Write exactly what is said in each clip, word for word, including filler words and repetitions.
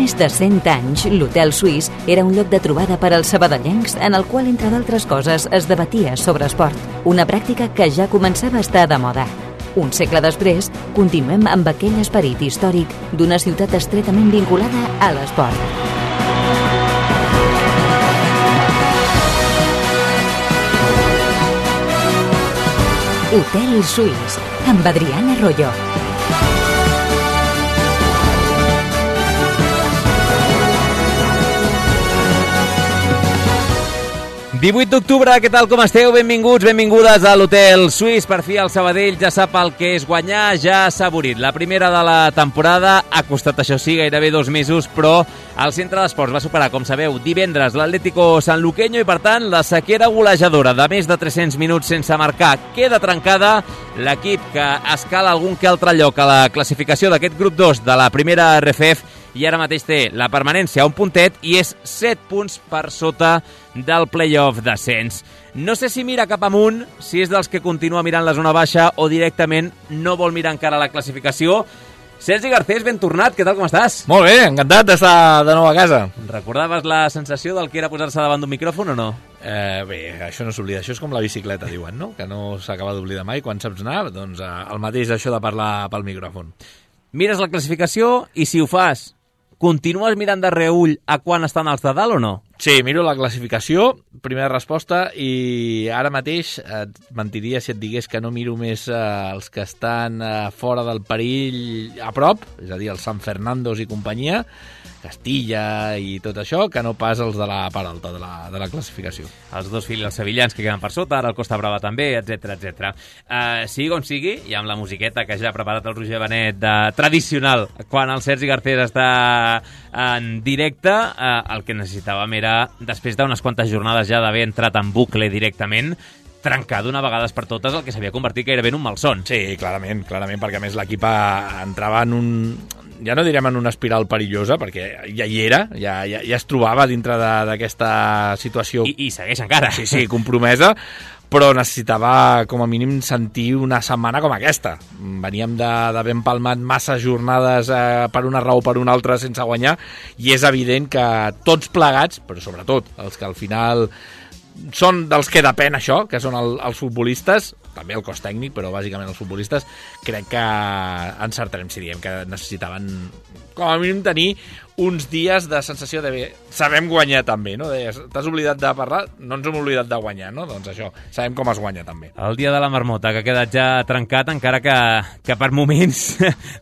més de cent anys, l'Hotel Suís era un lloc de trobada per als sabadellencs en el qual, entre d'altres coses, es debatia sobre esport, una pràctica que ja començava a estar de moda. Un segle després, continuem amb aquell esperit històric d'una ciutat estretament vinculada a l'esport. Hotel Suís, amb Adriana Arroyo. divuit d'octubre, què tal, com esteu? Benvinguts, benvingudes a l'Hotel Suís. Per fi el Sabadell ja sap el que és guanyar, ja s'ha avorrit. La primera de la temporada ha costat, això sí, gairebé dos mesos, però el Centre d'Esports va superar, com sabeu, divendres l'Atlético Sanluqueño i, per tant, la sequera golejadora de més de tres-cents minuts sense marcar queda trencada. L'equip que escala algun que altre lloc a la classificació d'aquest grup dos de la primera R F F i ara mateix té la permanència a un puntet i és set punts per sota del play-off d'ascens. No sé si mira cap amunt, si és dels que continua mirant la zona baixa o directament no vol mirar encara la classificació. Sergi Garcés, ben tornat, què tal, com estàs? Molt bé, encantat d'estar de nou a casa. Recordaves la sensació del que era posar-se davant d'un micròfon o no? Eh, bé, això no s'oblida, això és com la bicicleta, diuen, no? Que no s'acaba d'oblidar mai quan saps anar, doncs eh, el mateix això de parlar pel micròfon. Mires la classificació i si ho fas, continues mirant de reüll a quan estan els de dalt o no? Sí, miro la classificació, primera resposta, i ara mateix et mentiria si et digués que no miro més eh, els que estan eh, fora del perill a prop, és a dir, els San Fernandos i companyia, Castilla i tot això, que no pas els de la part alta de la, de la classificació. Els dos filials sevillans que queden per sota, ara el Costa Brava també, etcètera, etcètera. Uh, sigui com sigui, i amb la musiqueta que ja ha preparat el Roger Benet de tradicional, quan el Sergi Garcés està en directe, uh, el que necessitàvem era, després d'unes quantes jornades ja d'haver entrat en bucle directament, trencar d'una vegada per totes el que s'havia convertit gairebé en un malson. Sí, clarament, clarament, perquè a més l'equip entrava en un... ja no direm en una espiral perillosa, perquè ja hi era, ja, ja, ja es trobava dintre d'aquesta situació... I, I segueix encara. Sí, sí, compromesa, però necessitava com a mínim sentir una setmana com aquesta. Veníem d'haver empalmat massa jornades eh, per una raó o per una altra sense guanyar, i és evident que tots plegats, però sobretot els que al final són dels que depèn això, que són el, els futbolistes, també el cos tècnic, però bàsicament els futbolistes, crec que encertarem si diem que necessitaven com a mínim tenir uns dies de sensació de bé, sabem guanyar també, no? T'has oblidat de parlar, no ens hem oblidat de guanyar, no? Doncs això, sabem com es guanya també. El dia de la marmota, que ha quedat ja trencat, encara que, que per moments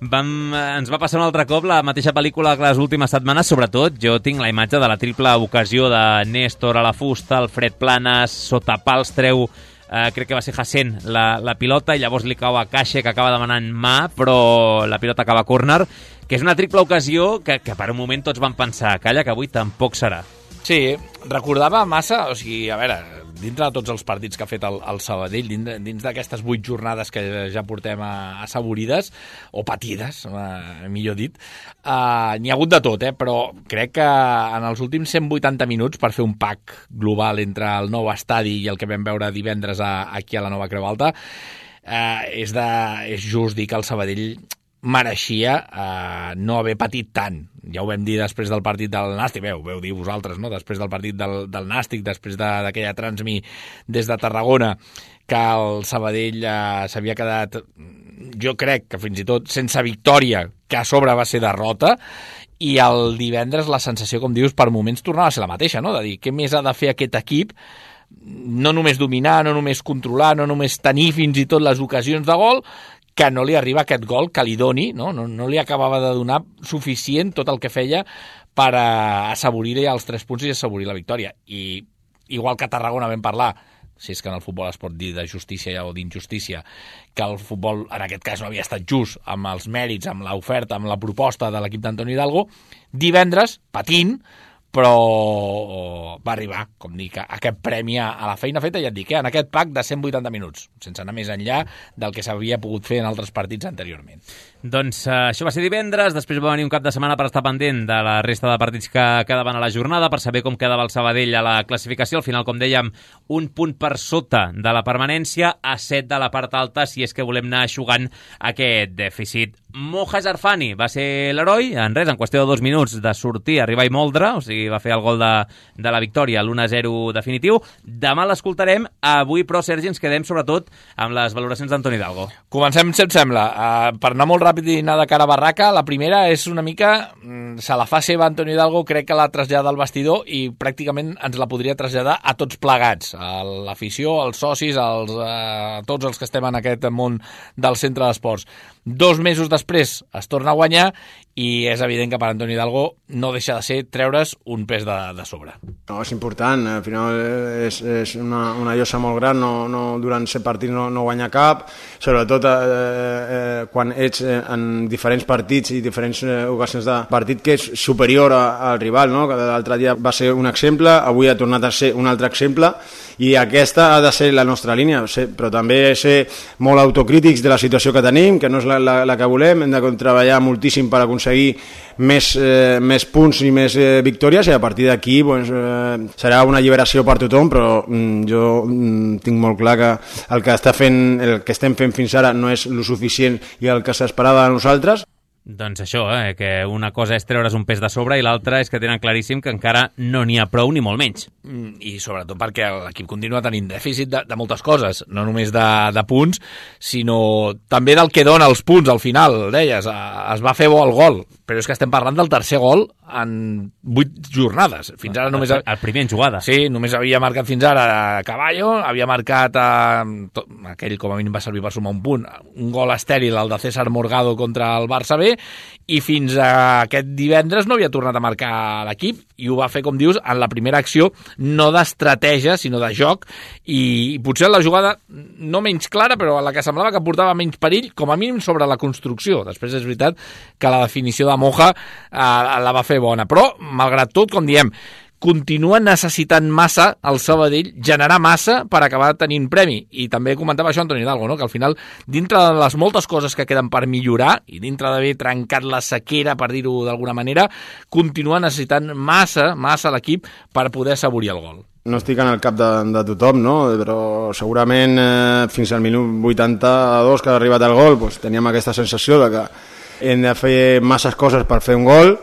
vam, ens va passar un altre cop la mateixa pel·lícula que les últimes setmanes, sobretot jo tinc la imatge de la triple ocasió de Néstor a la fusta, Alfred Planes, sota pals treu, eh, crec que va ser Hassen la, la pilota, i llavors li cau a Caixa, que acaba demanant mà, però la pilota acaba a córner, que és una triple ocasió que, que per un moment tots van pensar, calla, que avui tampoc serà. Sí, recordava massa, o sigui, a veure, dintre de tots els partits que ha fet el, el Sabadell, dins, dins d'aquestes vuit jornades que ja portem assaborides, o patides, eh, millor dit, eh, n'hi ha hagut de tot, eh, però crec que en els últims cent vuitanta minuts, per fer un pack global entre el nou estadi i el que vam veure divendres a, aquí a la Nova Creu Alta, eh, és, de, és just dir que el Sabadell mereixia eh, no haver patit tant. Ja ho vam dir després del partit del Nàstic, bé, ho veu dir vosaltres, no? Després del partit del, del Nàstic, després d'aquella de, transmi des de Tarragona, que el Sabadell eh, s'havia quedat, jo crec que fins i tot sense victòria, que a sobre va ser derrota, i el divendres la sensació, com dius, per moments tornava a ser la mateixa, no? De dir, què més ha de fer aquest equip? No només dominar, no només controlar, no només tenir fins i tot les ocasions de gol, que no li arriba aquest gol que li doni, no? No, no li acabava de donar suficient tot el que feia per assaborir els tres punts i assaborir la victòria. I igual que a Tarragona vam parlar, si és que en el futbol es pot dir de justícia o d'injustícia, que el futbol en aquest cas no havia estat just amb els mèrits, amb l'oferta, amb la proposta de l'equip d'Antoni Hidalgo, divendres, patint, però va arribar, com dic, aquest premi a la feina feta, ja et dic, eh, en aquest pack de cent vuitanta minuts, sense anar més enllà del que s'havia pogut fer en altres partits anteriorment. Doncs uh, això va ser divendres, després va venir un cap de setmana per estar pendent de la resta de partits que quedaven a la jornada, per saber com quedava el Sabadell a la classificació. Al final, com dèiem, un punt per sota de la permanència, a set de la part alta, si és que volem anar eixugant aquest dèficit. Moja Zarfani va ser l'heroi, en res, en qüestió de dos minuts de sortir, arribar i moldre, o sigui, va fer el gol de, de la victòria, l'u a zero definitiu. Demà l'escoltarem, avui, però, Sergi, ens quedem sobretot amb les valoracions d'Antoni Hidalgo. Comencem, si et sembla. Uh, per anar molt ràpid i anar de cara a barraca, la primera és una mica, mm, se la fa seva Antoni Hidalgo, crec que la trasllada al vestidor i pràcticament ens la podria traslladar a tots plegats, a l'afició, als socis, als, uh, tots els que estem en aquest món del centre d'esports. Dos mesos després es torna a guanyar i és evident que per Antoni Hidalgo no deixa de ser treure's un pes de, de sobre. No, és important, al final és, és una, una llosa molt gran, no, no, durant set partits no, no guanya cap, sobretot eh, eh, quan ets en diferents partits i diferents eh, ocasions de partit que és superior a, al rival, no? L'altre dia va ser un exemple, avui ha tornat a ser un altre exemple i aquesta ha de ser la nostra línia, però també ser molt autocrítics de la situació que tenim, que no és la, la, la que volem, hem de treballar moltíssim per aconseguir més, eh, més punts i més eh, victòries i a partir d'aquí doncs, eh, serà una alliberació per tothom, però mm, jo mm, tinc molt clar que el que, està fent, el que estem fent fins ara no és lo suficient i el que s'esperava de nosaltres. Doncs això, eh, que una cosa és treure's un pes de sobre i l'altra és que tenen claríssim que encara no n'hi ha prou ni molt menys. I sobretot perquè l'equip continua tenint dèficit de, de moltes coses, no només de, de punts, sinó també del que dona els punts al final, deies, es va fer bo el gol, però és que estem parlant del tercer gol en vuit jornades. Fins ara només... El, el primer en jugada. Sí, només havia marcat fins ara Caballo, havia marcat eh, tot, aquell com a mínim va servir per sumar un punt, un gol estèril, el de César Morgado contra el Barça B, i fins a aquest divendres no havia tornat a marcar l'equip i ho va fer, com dius, en la primera acció no d'estratègia, sinó de joc i, i potser la jugada no menys clara, però la que semblava que portava menys perill, com a mínim sobre la construcció. Després és veritat que la definició de Moja eh, la va fer bona, però malgrat tot, com diem, continua necessitant massa el Sabadell, generar massa per acabar tenint premi. I també comentava això Antoni Hidalgo, no? Que al final, dintre de les moltes coses que queden per millorar i dintre d'haver trencat la sequera, per dir-ho d'alguna manera, continua necessitant massa, massa l'equip per poder assaborir el gol. No estic en el cap de, de tothom, no? Però segurament eh, fins al minut vuitanta-dos que ha arribat el gol doncs, teníem aquesta sensació de que hem de fer masses coses per fer un gol.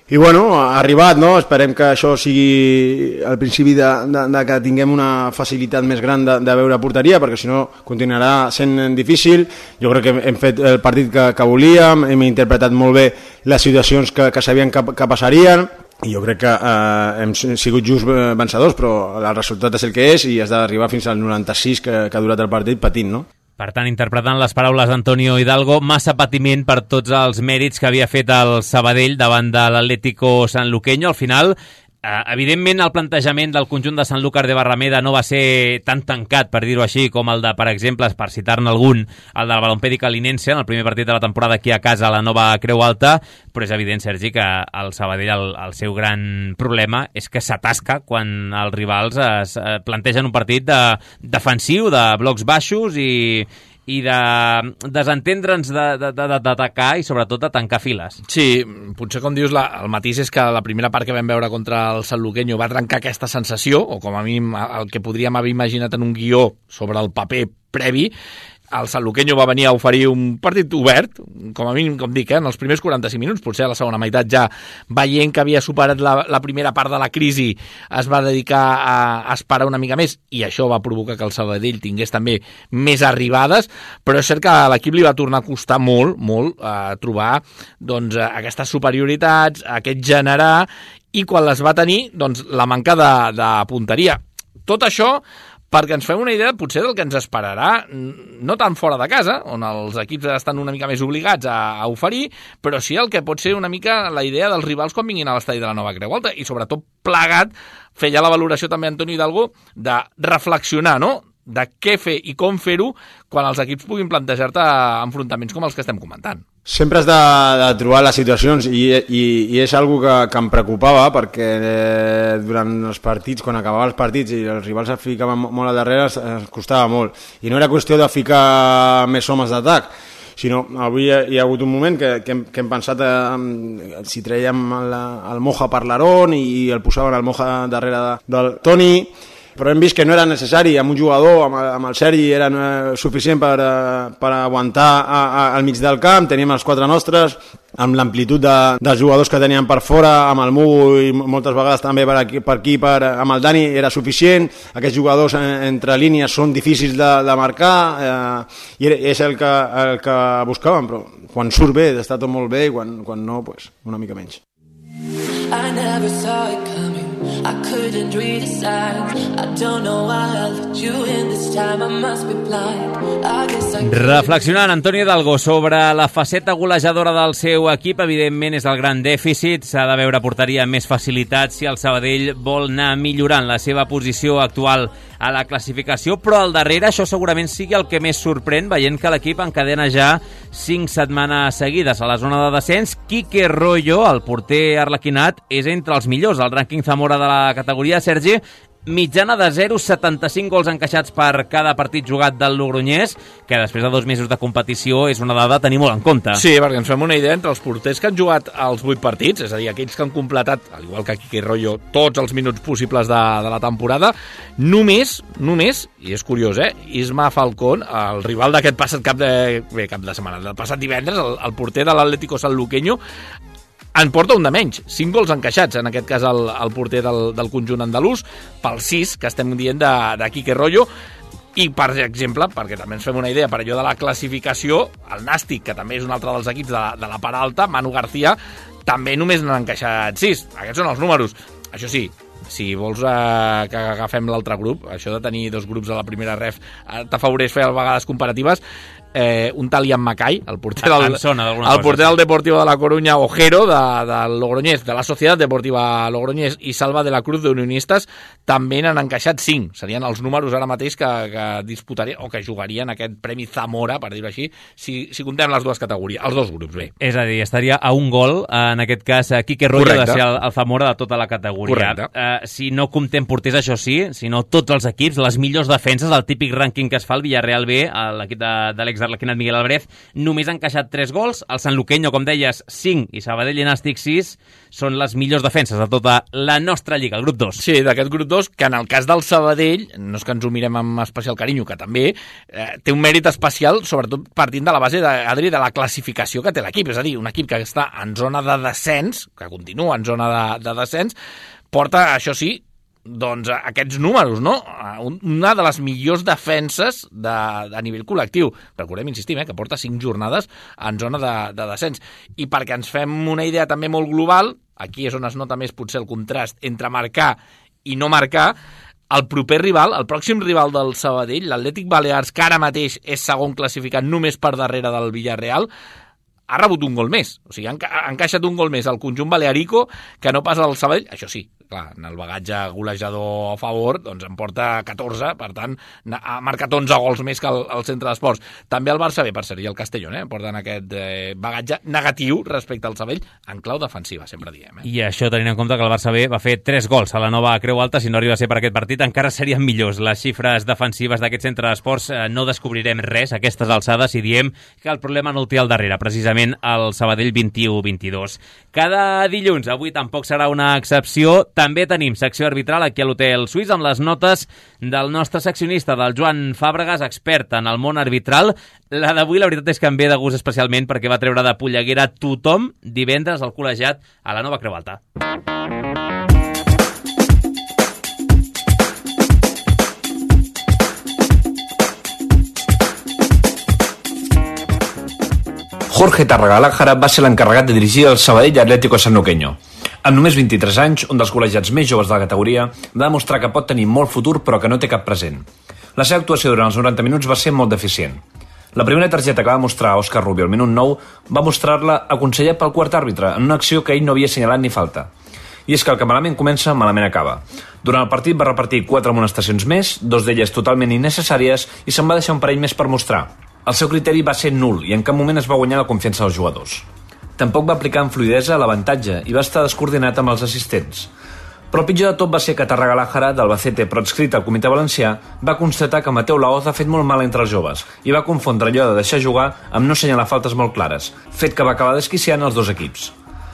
I bueno, ha arribat, no? Esperem que això sigui el principi de, de, de que tinguem una facilitat més gran de, de veure porteria, perquè si no continuarà sent difícil. Jo crec que hem fet el partit que, que volíem, hem interpretat molt bé les situacions que, que sabien que, que passarien, i jo crec que eh, hem sigut just vencedors, però el resultat és el que és i has d'arribar fins al noranta-sis que, que ha durat el partit patint, no? Per tant, interpretant les paraules d'Antonio Hidalgo, massa patiment per tots els mèrits que havia fet el Sabadell davant de l'Atlético Sanluqueño. Al final, eh, evidentment, el plantejament del conjunt de Sanlúcar de Barrameda no va ser tan tancat, per dir-ho així, com el de, per exemple, per citar-ne algun, el del Balompèdic Linense, en el primer partit de la temporada aquí a casa a la nova Creu Alta, però és evident, Sergi, que el Sabadell, el, el seu gran problema és que s'atasca quan els rivals es, es plantegen un partit de, defensiu, de blocs baixos i, i de desentendre'ns d'atacar i sobretot de tancar files. Sí, potser com dius, la, el matís és que la primera part que vam veure contra el Sanluqueño va trencar aquesta sensació, o com a mínim el que podríem haver imaginat en un guió sobre el paper previ. El Sanluqueño va venir a oferir un partit obert, com a mínim, com dic, eh, en els primers quaranta-cinc minuts, potser a la segona meitat ja veient que havia superat la, la primera part de la crisi, es va dedicar a, a esperar una mica més, i això va provocar que el Sabadell tingués també més arribades, però és cert que a l'equip li va tornar a costar molt, molt, a trobar doncs, aquestes superioritats, aquest generar, i quan les va tenir, doncs, la manca de, de punteria. Tot això perquè ens fem una idea potser del que ens esperarà, no tan fora de casa, on els equips estan una mica més obligats a, a oferir, però sí el que pot ser una mica la idea dels rivals quan vinguin a l'estadi de la nova Creu Alta, i sobretot plegat, feia la valoració també Antoni Hidalgo de reflexionar, no?, de què fer i com fer-ho quan els equips puguin plantejar-te enfrontaments com els que estem comentant. Sempre has de, de trobar les situacions i, i, i és algo que, que em preocupava perquè eh, durant els partits, quan acabaven els partits i els rivals es ficaven molt al darrere, es, es costava molt. I no era qüestió de ficar més homes d'atac, sinó avui hi ha, hi ha hagut un moment que, que, hem, que hem pensat eh, si traiem el, el Moja per l'Aron i el posaven el Moja darrere de, del Toni, però hem vist que no era necessari, amb un jugador, amb, amb el Sergi, era eh, suficient per, eh, per aguantar a, a, al mig del camp, teníem els quatre nostres, amb l'amplitud de, dels jugadors que teníem per fora, amb el Mugu i moltes vegades també per aquí, per aquí per, amb el Dani era suficient. Aquests jugadors en, entre línies són difícils de, de marcar eh, i és el que, el que buscàvem, però quan surt bé està tot molt bé i quan, quan no, pues, una mica menys. I never saw it coming, I couldn't read the signs, I don't know why I let you in this time, I must be blind, I guess I... Reflexionant Antonio Hidalgo sobre la faceta golejadora del seu equip, evidentment és el gran dèficit, s'ha de veure porteria amb més facilitat si el Sabadell vol anar millorant la seva posició actual a la classificació, però al darrere això segurament sigui el que més sorprèn, veient que l'equip encadena ja cinc setmanes seguides a la zona de descens. Quique Royo, el porter arlequinat, és entre els millors al rànquing Zamora de la categoria. Sergi, mitjana de zero coma setanta-cinc gols encaixats per cada partit jugat del Logroñés, que després de dos mesos de competició és una dada a tenir molt en compte. Sí, perquè ens fem una idea entre els porters que han jugat els vuit partits, és a dir, aquells que han completat, al igual que Quique Royo, tots els minuts possibles de, de la temporada, només, només, i és curiós, eh, Isma Falcón, el rival d'aquest passat cap de, bé, cap de setmana, del passat divendres, el, el porter de l'Atlético Sanluqueño, en porta un de menys, cinc gols encaixats, en aquest cas el, el porter del, del conjunt andalús, pel sis que estem dient de, de Quique Royo, i per exemple, perquè també ens fem una idea per allò de la classificació, el Nàstic, que també és un altre dels equips de la, de la part alta, Manu García, també només n'han encaixat sis. Aquests són els números. Això sí, si vols eh, que agafem l'altre grup, això de tenir dos grups a la primera ref eh, t'afavoreix fer a vegades comparatives. Eh, un tal Ian Macay, el porter del, el porter del Deportivo de la Coruña, Ojero, de, del Logroñés, de la Societat Deportiva Logroñés, i Salva de la Cruz d'Unionistes, també n'han encaixat cinc. Serien els números ara mateix que, que disputarien o que jugarien aquest Premi Zamora, per dir-ho així, si, si comptem les dues categories, els dos grups, bé. És a dir, estaria a un gol, en aquest cas, Quique Royo, de ser el, el Zamora de tota la categoria. Uh, si no comptem porters, això sí, sinó tots els equips, les millors defenses, el típic rànquing que es fa el Villarreal B, l'equip de, de l'ex d'Arlequinat Miguel Álvarez, només han encaixat tres gols, el Sanluqueño, com deies, cinc, i Sabadell i Nàstic sis, són les millors defenses de tota la nostra lliga, el grup dos. Sí, d'aquest grup dos, que en el cas del Sabadell, no és que ens ho mirem amb especial carinyo, que també eh, té un mèrit especial, sobretot partint de la base, de, Adri, de la classificació que té l'equip, és a dir, un equip que està en zona de descens, que continua en zona de, de descens, porta, això sí, doncs aquests números, no? Una de les millors defenses de, de a nivell col·lectiu. Recordem, insistim, eh, que porta cinc jornades en zona de, de descens. I perquè ens fem una idea també molt global, aquí és on es nota més potser el contrast entre marcar i no marcar, el proper rival, el pròxim rival del Sabadell, l'Atlètic Balears, que ara mateix és segon classificat només per darrere del Villarreal, ha rebut un gol més. O sigui, ha encaixat un gol més al conjunt balearico que no pas al Sabadell. Això sí, clar, en el bagatge golejador a favor, doncs en porta catorze, per tant, ha marcat onze gols més que el, el centre d'esports. També el Barça B, per ser, i el Castellón, eh, porten aquest eh, bagatge negatiu respecte al Sabadell, en clau defensiva, sempre diem. Eh? I això tenint en compte que el Barça B va fer tres gols a la nova Creu Alta, si no arriba a ser per aquest partit, encara serien millors les xifres defensives d'aquest centre d'esports. Eh, no descobrirem res a aquestes alçades si diem que el problema no el té al darrere, precisament el Sabadell vint-i-u vint-i-dos. Cada dilluns, avui tampoc serà una excepció, també tenim secció arbitral aquí a l'Hotel Suís amb les notes del nostre seccionista, del Joan Fàbregas, expert en el món arbitral. La d'avui, la veritat és que em ve de gust especialment perquè va treure de polleguera tothom divendres al col·legiat a la nova Creu Alta. Jorge Tarragalaja va ser l'encarregat de dirigir el Sabadell Atlético Sanluqueño. Amb només vint-i-tres anys, un dels col·legiats més joves de la categoria, va demostrar que pot tenir molt futur però que no té cap present. La seva actuació durant els noranta minuts va ser molt deficient. La primera targeta que va mostrar Òscar Rubio al minut nou va mostrar-la aconsellat pel quart àrbitre en una acció que ell no havia assenyalat ni falta. I és que el que malament comença, malament acaba. Durant el partit va repartir quatre amonestacions més, dos d'elles totalment innecessàries, i se'n va deixar un parell més per mostrar. El seu criteri va ser nul i en cap moment es va guanyar la confiança dels jugadors. Tampoc va aplicar amb fluidesa l'avantatge i va estar descoordinat amb els assistents. Però el pitjor de tot va ser que Tarragalaja, d'Albacete però adscrit al Comitè Valencià, va constatar que Mateu Laoz ha fet molt mal entre els joves i va confondre allò de deixar jugar amb no assenyalar faltes molt clares, fet que va acabar desquiciant els dos equips.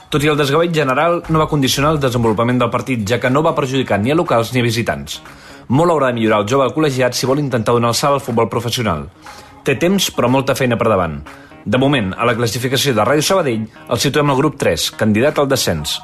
Tot i el desgavell general, no va condicionar el desenvolupament del partit, ja que no va perjudicar ni a locals ni a visitants. Molt haurà de millorar el jove col·legiat si vol intentar donar el salt al futbol professional. Té temps, però molta feina per davant. De moment, a la classificació de Ràdio Sabadell, el situem al grup tres, candidat al descens.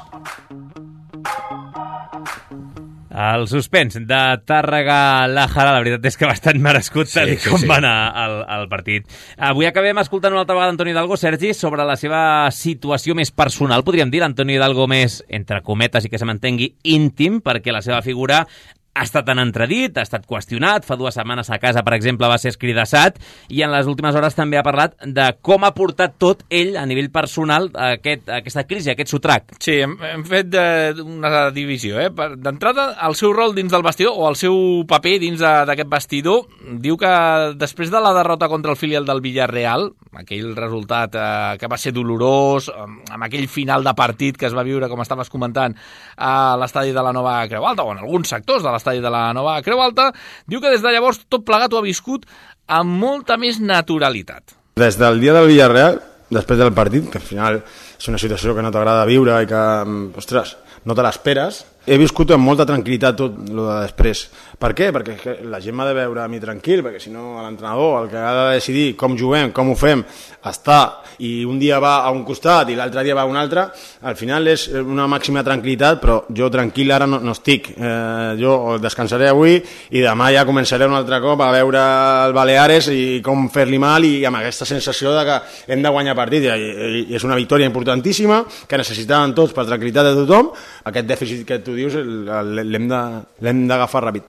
El suspens de Tàrrega-Làjara, la veritat és que bastant merescut, tal sí, sí, com sí. va anar el, el partit. Avui acabem escoltant una altra vegada Antoni Hidalgo, Sergi, sobre la seva situació més personal, podríem dir, l'Antoni Hidalgo més, entre cometes, i que se mantengui íntim, perquè la seva figura ha estat en entredit, ha estat qüestionat, fa dues setmanes a casa, per exemple, va ser escridassat, i en les últimes hores també ha parlat de com ha portat tot ell, a nivell personal, aquest, aquesta crisi, aquest sotrac. Sí, hem, hem fet de, una divisió. Eh? D'entrada, el seu rol dins del vestidor, o el seu paper dins d'aquest vestidor, diu que després de la derrota contra el filial del Villarreal, aquell resultat eh, que va ser dolorós, amb aquell final de partit que es va viure, com estaves comentant, a l'estadi de la Nova Creu Alta, o en alguns sectors de l'estadi de la Nova Creu Alta, diu que des de llavors tot plegat ho ha viscut amb molta més naturalitat. Des del dia del Villarreal, després del partit, que al final és una situació que no t'agrada viure i que, ostres, no te l'esperes, he viscut amb molta tranquil·litat tot el de després. Per què? Perquè la gent m'ha de veure a mi tranquil, perquè si no l'entrenador, el que ha de decidir com juguem, com ho fem, està, i un dia va a un costat i l'altre dia va a un altre, al final és una màxima tranquil·litat, però jo tranquil ara no, no estic. Eh, jo descansaré avui i demà ja començaré un altre cop a veure el Baleares i com fer-li mal, i amb aquesta sensació de que hem de guanyar partit. I, i, i és una victòria importantíssima que necessitaven tots per tranquil·litat de tothom. Aquest dèficit que tu dius l'hem d'agafar ràpid.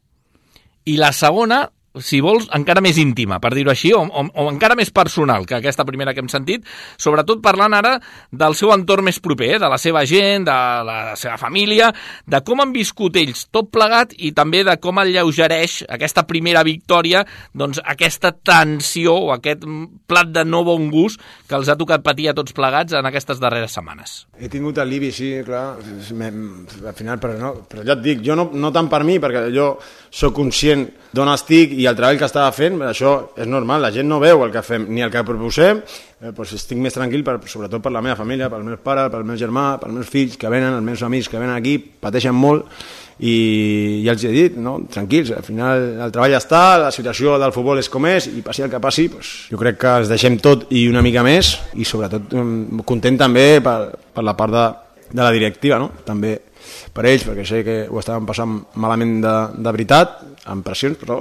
I la segona, si vols, encara més íntima, per dir-ho així, o, o, o encara més personal que aquesta primera que hem sentit, sobretot parlant ara del seu entorn més proper, de la seva gent, de la seva família, de com han viscut ells tot plegat i també de com alleugereix aquesta primera victòria, doncs aquesta tensió o aquest plat de no bon gust que els ha tocat patir a tots plegats en aquestes darreres setmanes. He tingut alivi, sí, clar, al final, però, no, però ja et dic, jo no, no tant per mi, perquè jo soc conscient d'on estic i el treball que estava fent, això és normal, la gent no veu el que fem ni el que proposem, eh, doncs estic més tranquil, per, sobretot per la meva família, pels meus pares, pel meu germà, pels meus fills que venen, els meus amics que venen aquí, pateixen molt, i ja els he dit, no? Tranquils, al final el treball està, la situació del futbol és com és, i passi el que passi, doncs, jo crec que els deixem tot i una mica més, i sobretot content també per, per la part de, de la directiva, no? També per ells, perquè sé que ho estaven passant malament de, de veritat, amb pressions, però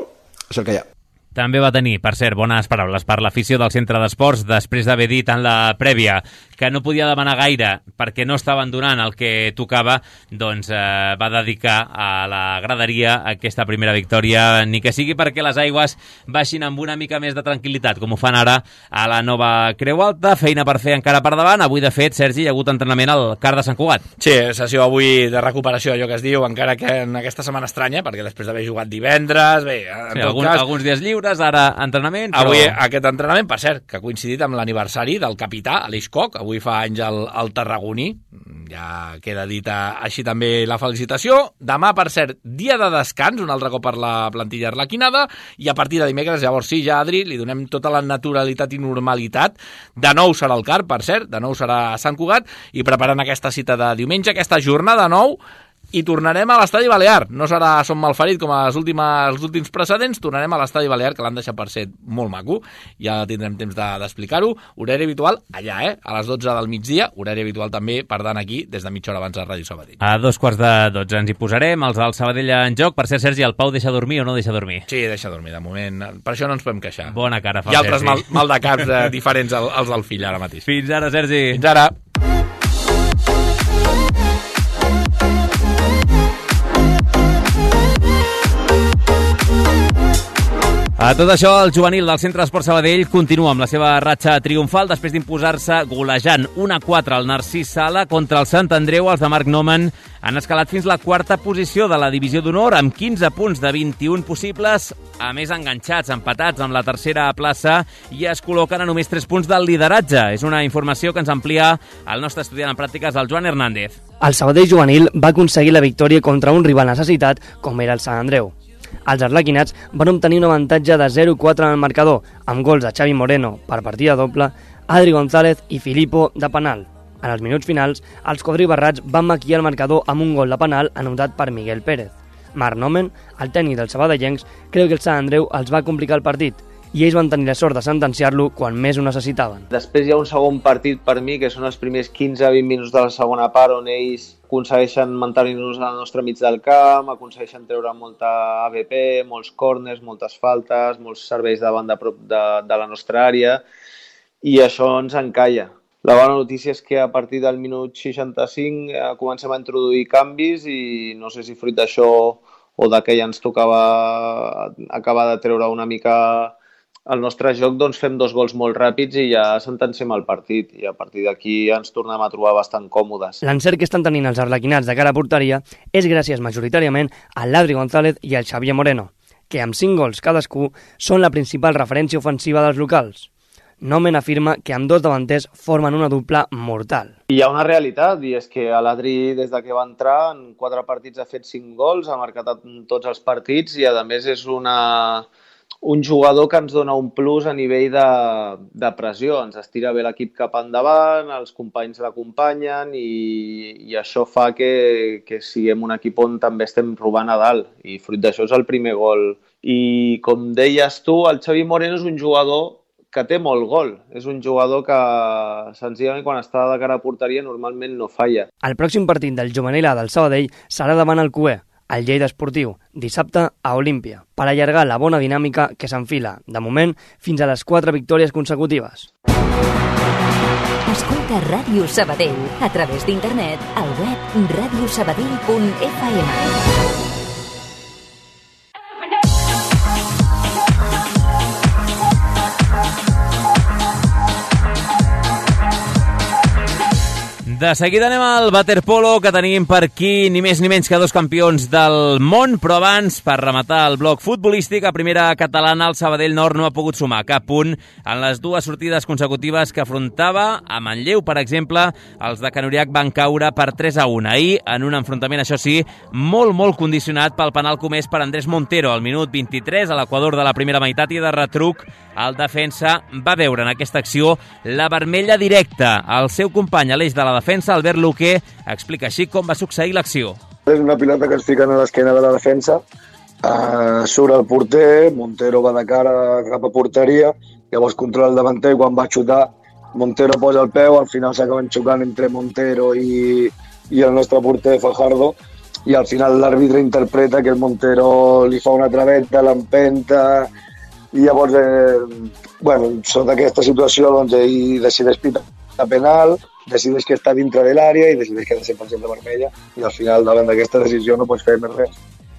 és el que hi ha. També va tenir, per cert, bones paraules per l'afició del centre d'esports després d'haver dit en la prèvia que no podia demanar gaire perquè no estaven donant el que tocava, doncs eh, va dedicar a la graderia aquesta primera victòria, ni que sigui perquè les aigües baixin amb una mica més de tranquil·litat, com ho fan ara a la Nova Creu Alta, feina per fer encara per davant. Avui, de fet, Sergi, hi ha hagut entrenament al Car de Sant Cugat. Sí, sessió avui de recuperació, allò que es diu, encara que en aquesta setmana estranya, perquè després d'haver jugat divendres, bé, en sí, tot algun, cas... alguns dies lliures, ara entrenament, però... Avui aquest entrenament, per cert, que ha coincidit amb l'aniversari del capità, Aleix Coc, avui fa anys al, al Tarragoní, ja queda dita així també la felicitació. Demà, per cert, dia de descans, un altre cop per la plantilla arlequinada, i a partir de dimecres, llavors sí, ja, Adri, li donem tota la naturalitat i normalitat. De nou serà el Car, per cert, de nou serà a Sant Cugat, i preparant aquesta cita de diumenge, aquesta jornada nou, i tornarem a l'Estadi Balear. No serà Som Malferit com els últims, els últims precedents, tornarem a l'Estadi Balear, que l'han deixat per ser molt maco, ja tindrem temps d'explicar-ho. Horari habitual allà, eh? A les dotze del migdia, horari habitual també, per tant, aquí, des de mitja hora abans de Ràdio Sabadell. A dos quarts de dotze ens hi posarem, els del Sabadell en joc. Per cert, Sergi, el Pau deixa dormir o no deixa dormir? Sí, deixa dormir, de moment. Per això no ens podem queixar. Bona cara fa, Sergi. I altres mal, mal de caps eh, diferents als, als del fill ara mateix. Fins ara, Sergi. Fins ara. A tot això, el juvenil del Centre d'Esport Sabadell continua amb la seva ratxa triomfal després d'imposar-se golejant un a quatre al Narcís Sala contra el Sant Andreu. Els de Marc Nomen han escalat fins la quarta posició de la divisió d'honor amb quinze punts de vint-i-un possibles, a més enganxats, empatats amb la tercera plaça, i es col·loquen a només tres punts del lideratge. És una informació que ens amplia el nostre estudiant en pràctiques, el Joan Hernández. El Sabadell juvenil va aconseguir la victòria contra un rival necessitat com era el Sant Andreu. Els arlequinats van obtenir un avantatge de zero a quatre en el marcador, amb gols de Xavi Moreno per partida doble, Adri González i Filippo de penal. En els minuts finals, els quadribarrats van maquillar el marcador amb un gol de penal anotat per Miguel Pérez. Marc Nomen, el tècnic dels sabadellencs, creu que el Sant Andreu els va complicar el partit i ells van tenir la sort de sentenciar-lo quan més ho necessitaven. Després hi ha un segon partit per mi, que són els primers quinze a vint minuts de la segona part, on ells aconsegueixen mantenir-nos al nostre mig del camp, aconsegueixen treure molta A B P, molts córners, moltes faltes, molts serveis davant de prop de, de la nostra àrea, i això ens encalla. La bona notícia és que a partir del minut seixanta-cinc eh, comencem a introduir canvis i no sé si fruit d'això o de que ja ens tocava acabar de treure una mica el nostre joc, doncs fem dos gols molt ràpids i ja sentenciem el partit, i a partir d'aquí ens tornem a trobar bastant còmodes. L'encert que estan tenint els arlequinats de cara a porteria és gràcies majoritàriament a l'Adri González i al Xavier Moreno, que amb cinc gols cadascú són la principal referència ofensiva dels locals. Nomen afirma que amb dos davanters formen una dupla mortal. Hi ha una realitat, i és que l'Adri, des de que va entrar, en quatre partits ha fet cinc gols, ha marcat en tots els partits i, a més, és una... un jugador que ens dona un plus a nivell de, de pressió. Ens estira bé l'equip cap endavant, els companys l'acompanyen i, i això fa que, que siguem un equip on també estem robant a dalt. I fruit d'això és el primer gol. I com deies tu, el Xavi Moreno és un jugador que té molt gol. És un jugador que senzillament quan està de cara a porteria normalment no falla. El pròxim partit del juvenil A del Sabadell serà davant el Cué, al Lleida Esportiu, dissabte a Olímpia, per allargar la bona dinàmica que s'enfila, de moment, fins a les quatre victòries consecutives. Escolta Ràdio Sabadell a través d'internet al web radio sabadell punt f m. De seguida anem al waterpolo, que tenim per aquí ni més ni menys que dos campions del món, però abans, per rematar el bloc futbolístic, a primera catalana el Sabadell Nord no ha pogut sumar cap punt en les dues sortides consecutives que afrontava. A Manlleu, per exemple, els de Canuriac van caure per tres a un. Ahir, en un enfrontament, això sí, molt, molt condicionat pel penal comès per Andrés Montero al minut vint-i-tres, a l'equador de la primera meitat, i de retruc el defensa va veure en aquesta acció la vermella directa. El seu company a l'eix de la defensa, Albert Luque, explica així com va succeir l'acció. És una pilota que es fiquen a l'esquena de la defensa, uh, surt el porter, Montero va de cara cap a porteria, llavors controla el davanter i quan va xutar Montero posa el peu, al final s'acaben xocant entre Montero i, i el nostre porter Fajardo, i al final l'àrbitre interpreta que el Montero li fa una traveta, l'empenta, i llavors, eh, bueno, sota aquesta situació, doncs, ell decideix pitar penal, decideix que està dintre de l'àrea i decideix que ha de ser cent per cent de vermella, i al final, davant d'aquesta decisió, no pots fer més res.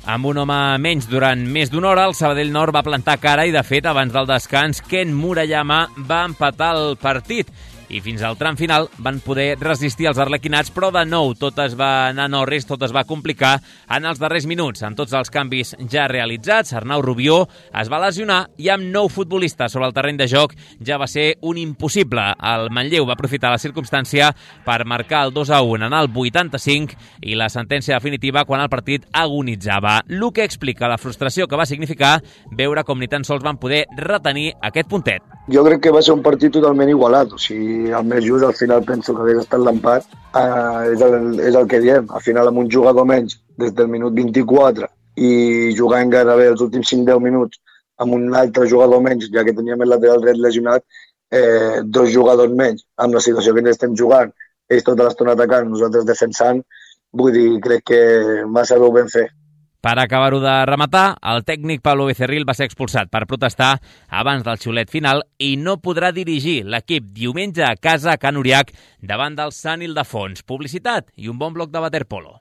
Amb un home menys durant més d'una hora, el Sabadell Nord va plantar cara i, de fet, abans del descans, Ken Murayama va empatar el partit. I fins al tram final van poder resistir els arlequinats, però de nou tot es va anar no res, tot es va complicar en els darrers minuts. Amb tots els canvis ja realitzats, Arnau Rubió es va lesionar i amb nou futbolistes sobre el terreny de joc ja va ser un impossible. El Manlleu va aprofitar la circumstància per marcar el dos a un en el vuitanta-cinc i la sentència definitiva quan el partit agonitzava. Luque explica la frustració que va significar veure com ni tan sols van poder retenir aquest puntet. Jo crec que va ser un partit totalment igualat, o sigui, el més just al final penso que hagués estat l'empat, eh, és, el, és el que diem, al final amb un jugador menys des del minut vint-i-quatre i jugant gairebé els últims cinc deu minuts amb un altre jugador menys, ja que teníem el lateral dret lesionat, eh, dos jugadors menys, amb la situació que ens estem jugant, ells tota l'estona atacant, nosaltres defensant, vull dir, crec que massa bé ho vam fer. Per acabar-ho de rematar, el tècnic Pablo Becerril va ser expulsat per protestar abans del xiulet final i no podrà dirigir l'equip diumenge a casa a Can Uriac davant del Sant Ildefons. Publicitat i un bon bloc de waterpolo.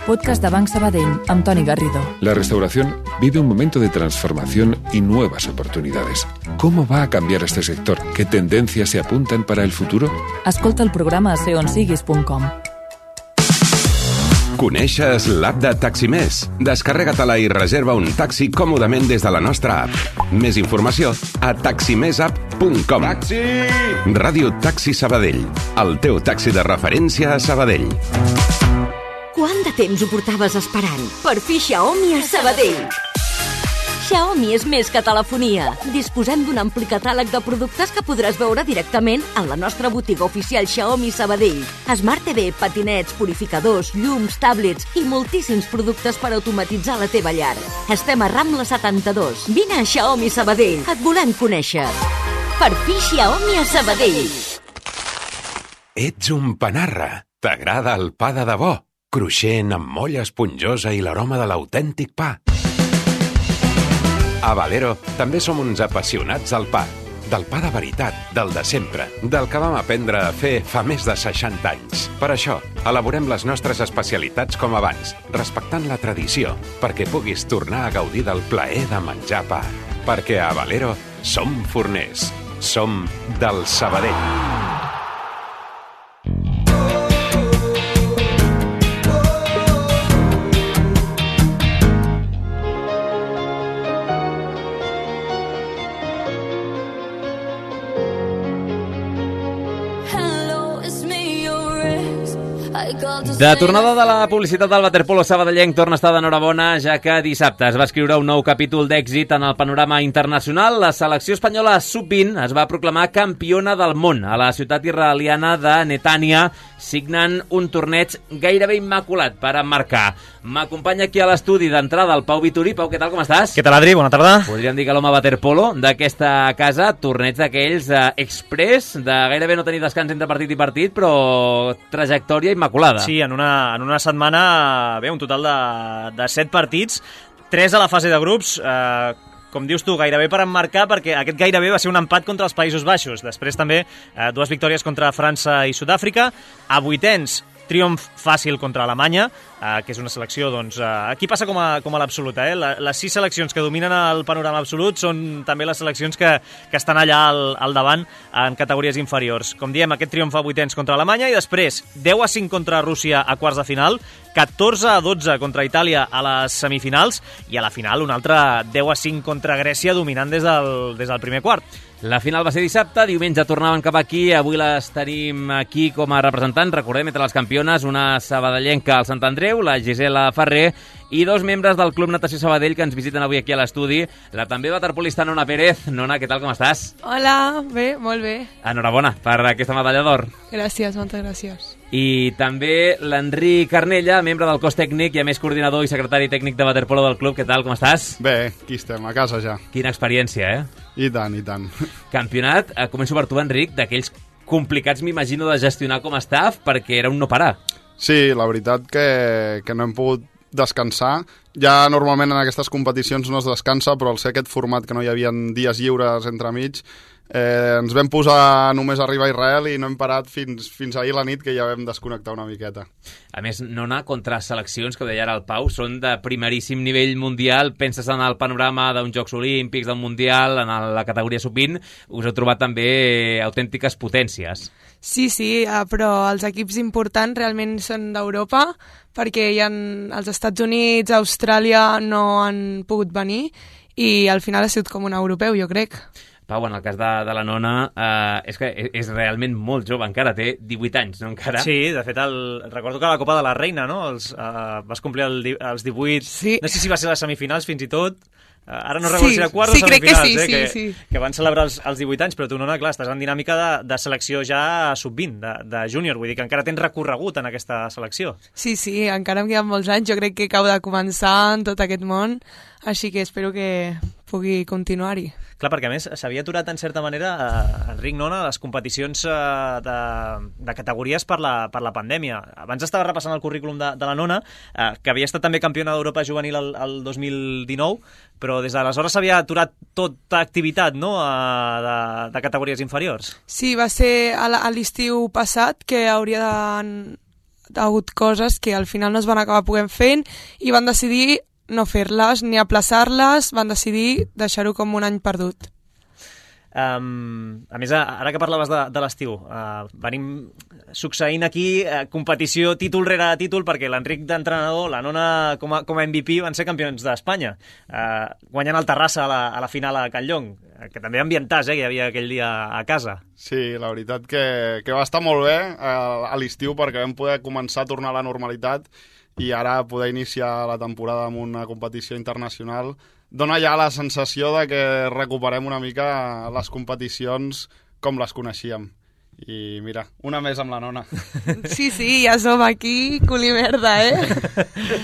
Podcast de Banc Sabadell, amb Toni Garrido. La restauración vive un momento de transformación y nuevas oportunidades. ¿Cómo va a cambiar este sector? ¿Qué tendencias se apuntan para el futuro? Escolta el programa a ser on siguis punt com. Coneixes l'app de Taximés? Descarrega-te-la i reserva un taxi còmodament des de la nostra app. Més informació a taximesapp punt com. Taxi! Ràdio Taxi Sabadell, el teu taxi de referència a Sabadell. Quant de temps ho portaves esperant? Per fi Xiaomi a Sabadell. Xiaomi és més que telefonia. Disposem d'un ampli catàleg de productes que podràs veure directament en la nostra botiga oficial Xiaomi Sabadell. Smart T V, patinets, purificadors, llums, tablets i moltíssims productes per automatitzar la teva llar. Estem a Rambla setanta-dos. Vine a Xiaomi Sabadell. Et volem conèixer. Per fi Xiaomi a Sabadell. Ets un panarra. T'agrada el pa de debò? Cruixent, amb molla esponjosa i l'aroma de l'autèntic pa. A Valero també som uns apassionats del pa. Del pa de veritat, del de sempre, del que vam aprendre a fer fa més de seixanta anys. Per això, elaborem les nostres especialitats com abans, respectant la tradició, perquè puguis tornar a gaudir del plaer de menjar pa. Perquè a Valero som forners. Som del Sabadell. De tornada de la publicitat del waterpolo sabadellenc torna a estar d'enhorabona, ja que dissabte es va escriure un nou capítol d'èxit en el panorama internacional. La selecció espanyola sub vint es va proclamar campiona del món a la ciutat israeliana de Netània, signant un torneig gairebé immaculat per emmarcar. M'acompanya aquí a l'estudi d'entrada el Pau Vituri. Pau, què tal, com estàs? Què tal, Adri? Bona tarda. Podríem dir que l'home waterpolo d'aquesta casa, torneig d'aquells eh, express, de gairebé no tenir descans entre partit i partit, però trajectòria immaculada. Sí, en una, en una setmana, bé, un total de, de set partits, tres a la fase de grups, eh, com dius tu, gairebé per emmarcar, perquè aquest gairebé va ser un empat contra els Països Baixos. Després també eh, dues victòries contra França i Sud-àfrica. A vuitens, triomf fàcil contra Alemanya, eh, que és una selecció, doncs, eh, aquí passa com a, com a l'absoluta, eh? La, les sis seleccions que dominen el panorama absolut són també les seleccions que, que estan allà al, al davant en categories inferiors. Com diem, aquest triomf a vuitens contra Alemanya i després deu a cinc contra Rússia a quarts de final, catorze a dotze contra Itàlia a les semifinals i a la final un altre deu a cinc contra Grècia dominant des del, des del primer quart. La final va ser dissabte, diumenge tornaven cap aquí, avui les tenim aquí com a representants, recordem, entre les campiones, una sabadellenca al Sant Andreu, la Gisela Ferrer, i dos membres del Club Natació Sabadell que ens visiten avui aquí a l'estudi, la també waterpolista Nona Pérez. Nona, què tal, com estàs? Hola, bé, molt bé. Enhorabona per aquesta medalla d'or. Gràcies, moltes gràcies. I també l'Enric Carnella, membre del cos tècnic i a més coordinador i secretari tècnic de waterpolo del club. Què tal, com estàs? Bé, aquí estem, a casa ja. Quina experiència, eh? I tant, i tant. Campionat, eh, començo per tu, Enric, d'aquells complicats, m'imagino, de gestionar com a staff, perquè era un no parar. Sí, la veritat que, que no hem pogut descansar. Ja normalment en aquestes competicions no es descansa, però al ser aquest format que no hi havia dies lliures entremig, eh, ens vam posar només a arribar a Israel i no hem parat fins, fins ahir a la nit, que ja vam desconnectar una miqueta. A més, Nona, contra seleccions, que ho deia ara el Pau, són de primeríssim nivell mundial. Penses en el panorama d'uns Jocs Olímpics, del Mundial, en la categoria sub vint, us heu trobat també autèntiques potències. Sí, sí, però els equips importants realment són d'Europa, perquè hi ha els Estats Units, Austràlia no han pogut venir i al final ha sigut com un europeu, jo crec. Pau, en el cas de, de la Nona, eh, és que és realment molt jove, encara té divuit anys, no encara? Sí, de fet, el, recordo que a la Copa de la Reina, no?, els, eh, vas complir el, els divuit, sí. No sé si va ser les semifinals fins i tot, ara no recordo sí, si era quarts sí, o semifinals, sí, eh, sí, que, sí. que van celebrar els, els divuit anys, però tu, Nona, clar, estàs en dinàmica de, de selecció ja sub vint, de, de júnior, vull dir que encara tens recorregut en aquesta selecció. Sí, sí, encara em queden molts anys, jo crec que acabo de començar en tot aquest món, així que espero que pugui continuar-hi. Clar, perquè a més s'havia aturat en certa manera, eh, Enric, Nona, les competicions eh, de, de categories per la, per la pandèmia. Abans estava repassant el currículum de, de la Nona, eh, que havia estat també campiona d'Europa juvenil el, el dos mil dinou, però des d'aleshores s'havia aturat tota activitat, no?, eh, de, de categories inferiors. Sí, va ser a l'estiu passat que hauria de... hagut coses que al final no es van acabar podent fent i van decidir no fer-les ni aplaçar-les, van decidir deixar-ho com un any perdut. Um, a més, ara que parlaves de, de l'estiu, uh, venim succeint aquí uh, competició títol rere títol, perquè l'Enric d'entrenador, la Nona com a, com a M V P van ser campions d'Espanya, uh, guanyant el Terrassa a la, a la final a Can Llong, que també ambientàs, eh, que hi havia aquell dia a casa. Sí, la veritat que, que va estar molt bé a, a l'estiu, perquè vam poder començar a tornar a la normalitat i ara poder iniciar la temporada amb una competició internacional dona ja la sensació de que recuperem una mica les competicions com les coneixíem. I mira, una més amb la nona. Sí, sí, ja som aquí, culimerda, eh?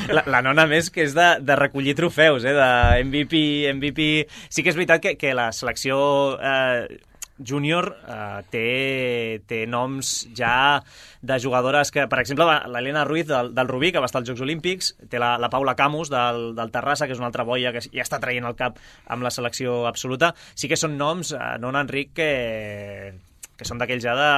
La, la nona més que és de, de recollir trofeus, eh? De M V P, M V P... Sí que és veritat que, que la selecció eh, júnior eh, té, té noms ja de jugadores que, per exemple, l'Helena Ruiz del, del Rubí, que va estar als Jocs Olímpics, té la, la Paula Camus del, del Terrassa, que és una altra boia que ja està traient el cap amb la selecció absoluta. Sí que són noms, eh, nona Enric, que... que són d'aquells ja de...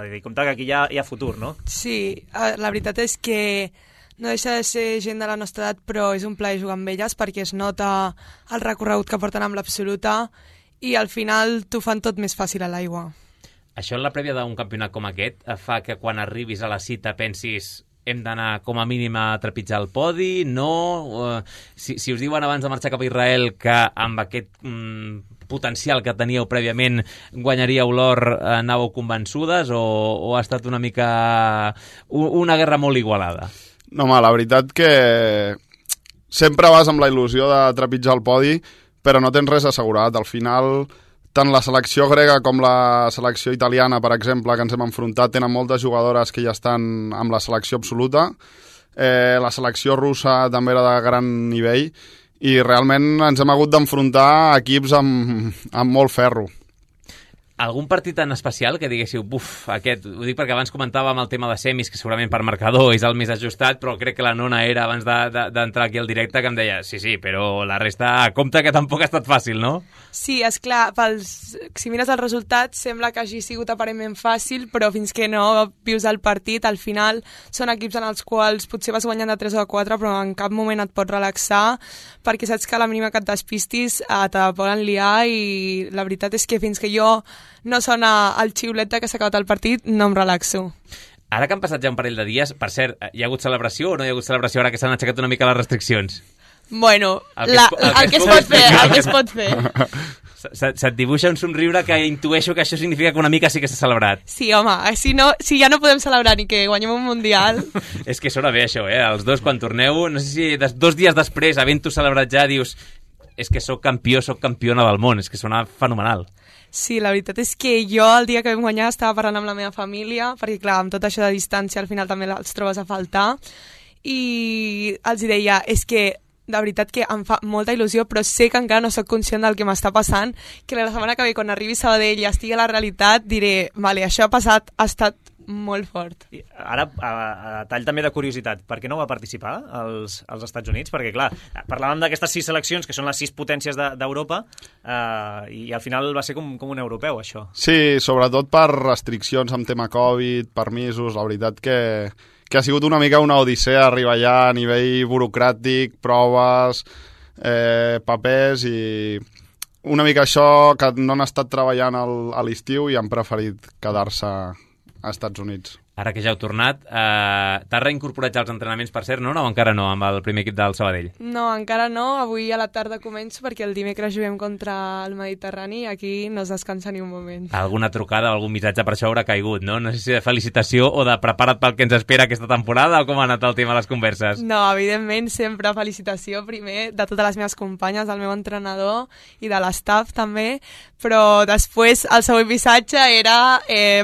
de dir, compte que aquí hi ha, hi ha futur, no? Sí, la veritat és que no deixa de ser gent de la nostra edat, però és un plaer jugar amb elles perquè es nota el recorregut que porten amb l'absoluta i al final t'ho fan tot més fàcil a l'aigua. Això en la prèvia d'un campionat com aquest fa que quan arribis a la cita pensis hem d'anar com a mínim a trepitjar el podi, no? Uh, si, si us diuen abans de marxar cap a Israel que amb aquest mm, potencial que teníeu prèviament guanyaríeu l'or, anàveu convençudes o, o ha estat una mica una guerra molt igualada? No, home, la veritat que sempre vas amb la il·lusió de trepitjar el podi, però no tens res assegurat. Al final, tant la selecció grega com la selecció italiana, per exemple, que ens hem enfrontat, tenen moltes jugadores que ja estan amb la selecció absoluta. Eh, la selecció russa també era de gran nivell i realment ens hem hagut d'enfrontar a equips amb, amb molt ferro. Algun partit en especial que diguéssiu, buf, aquest, ho dic perquè abans comentàvem el tema de semis, que segurament per marcador és el més ajustat, però crec que la nona era abans d'entrar de, de, aquí al directe que em deia, sí, sí, però la resta, compte que tampoc ha estat fàcil, no? Sí, és clar, pels, si mires el resultat sembla que hagi sigut aparentment fàcil, però fins que no vius el partit, al final són equips en els quals potser vas guanyant de tres o de quatre, però en cap moment et pots relaxar, perquè saps que a la mínima que et despistis eh, te poden liar i la veritat és que fins que jo no sona el xiulet que s'ha acabat el partit, no em relaxo. Ara que han passat ja un parell de dies, per cert, hi ha hagut celebració o no hi ha hagut celebració ara que s'han aixecat una mica les restriccions? Bueno, el que, la, es, el el que es pot fer, el que es pot fer. Se't se dibuixa un somriure que intueixo que això significa que una mica sí que s'ha celebrat. Sí, home, si, no, si ja no podem celebrar ni que guanyem un Mundial... És que sona bé això, eh? Els dos quan torneu, no sé si des, dos dies després, havent-ho celebrat ja, dius és que sóc campió, sóc campiona del món, és que sona fenomenal. Sí, la veritat és que jo el dia que vam guanyar estava parlant amb la meva família, perquè clar, amb tot això de distància al final també els trobes a faltar, i els deia, és que de veritat que em fa molta il·lusió, però sé que encara no sóc conscient del que m'està passant, que la setmana que ve, quan arribi a Sabadell i estigui a la realitat, diré, vale, això ha passat, ha estat molt fort. I ara, a, a tall també de curiositat, per què no va participar als, als Estats Units? Perquè, clar, parlàvem d'aquestes sis seleccions, que són les sis potències d'Europa, de, eh, i al final va ser com, com un europeu, això. Sí, sobretot per restriccions amb tema Covid, permisos, la veritat que, que ha sigut una mica una odissea arribar allà a nivell burocràtic, proves, eh, papers i... Una mica això que no han estat treballant al, a l'estiu i han preferit quedar-se a Estats Units. Ara que ja heu tornat, eh, t'has reincorporat ja als entrenaments, per cert, no? O encara no, amb el primer equip del Sabadell? No, encara no. Avui a la tarda començo perquè el dimecres juguem contra el Mediterrani i aquí no es descansa ni un moment. Alguna trucada, algun missatge per això haurà caigut, no? No sé si de felicitació o de prepara't pel que ens espera aquesta temporada o com ha anat el tema de les converses? No, evidentment, sempre felicitació primer de totes les meves companyes, del meu entrenador i de l'estaf també, però després el següent missatge era eh,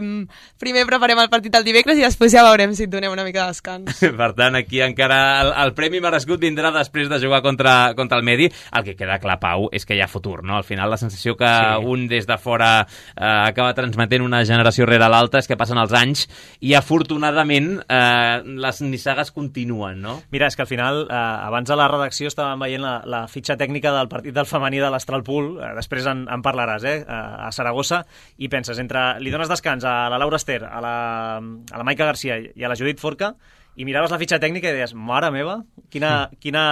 primer preparem el partit el dimecres i després ja veurem si et donem una mica de descans. Per tant, aquí encara el, el premi merescut vindrà després de jugar contra, contra el Medi. El que queda clar, Pau, és que hi ha futur, no? Al final la sensació que sí. un des de fora eh, acaba transmetent una generació rere l'altra és que passen els anys i afortunadament eh, les nissagues continuen, no? Mira, és que al final, eh, abans a la redacció estàvem veient la, la fitxa tècnica del partit del femení de l'Astralpool, eh, després en, en parlaràs, eh, a Saragossa, i penses, entre li dones descans a la Laura Ester, a la a la Maica Garcia i a la Judit Forca i miraves la fitxa tècnica i deies, mare meva, quina, quina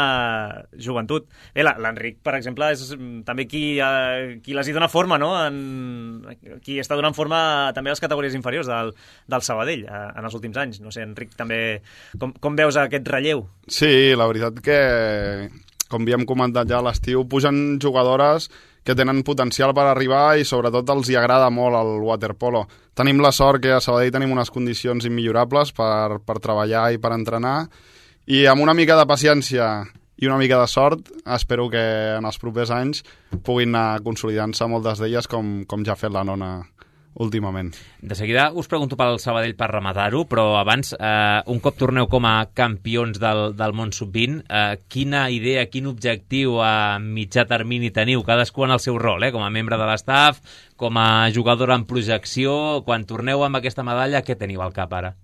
joventut. Bé, l'Enric, per exemple, és també qui, eh, qui les hi dona forma, no? En, qui està donant forma també a les categories inferiors del, del Sabadell eh, en els últims anys. No sé, Enric, també com, com veus aquest relleu? Sí, la veritat que, com havíem comentat ja a l'estiu, pugen jugadores que tenen potencial per arribar i sobretot els hi agrada molt el waterpolo. Tenim la sort que a Sabadell tenim unes condicions immillorables per, per treballar i per entrenar I amb una mica de paciència i una mica de sort, espero que en els propers anys puguin anar consolidant-se moltes d'elles com, com ja ha fet la nona últimament. De seguida us pregunto pel Sabadell per rematar-ho, però abans, eh, un cop torneu com a campions del, del món sub vint, eh, quina idea, quin objectiu a mitjà termini teniu, cadascú en el seu rol, eh, com a membre de l'estaf, com a jugador en projecció, quan torneu amb aquesta medalla, què teniu al cap ara?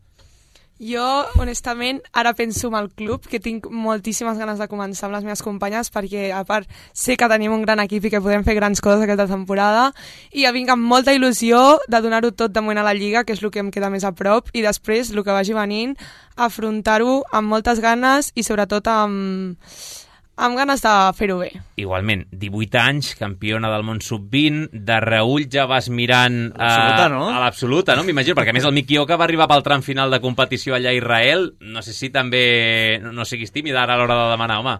Jo, honestament, ara penso en el club, que tinc moltíssimes ganes de començar amb les meves companyes, perquè, a part, sé que tenim un gran equip i que podem fer grans coses aquesta temporada, i ja vinc amb molta il·lusió de donar-ho tot de moment a la Lliga, que és el que em queda més a prop, i després, el que vagi venint, afrontar-ho amb moltes ganes i, sobretot, amb... amb ganes de fer-ho bé. Igualment, divuit anys, campiona del món sub vint, de reull ja vas mirant a l'absoluta, no? A l'absoluta, no? M'imagino, perquè a més el Miki Oka va arribar pel tram final de competició allà a Israel, no sé si també no, no siguis tímida ara a l'hora de demanar, home.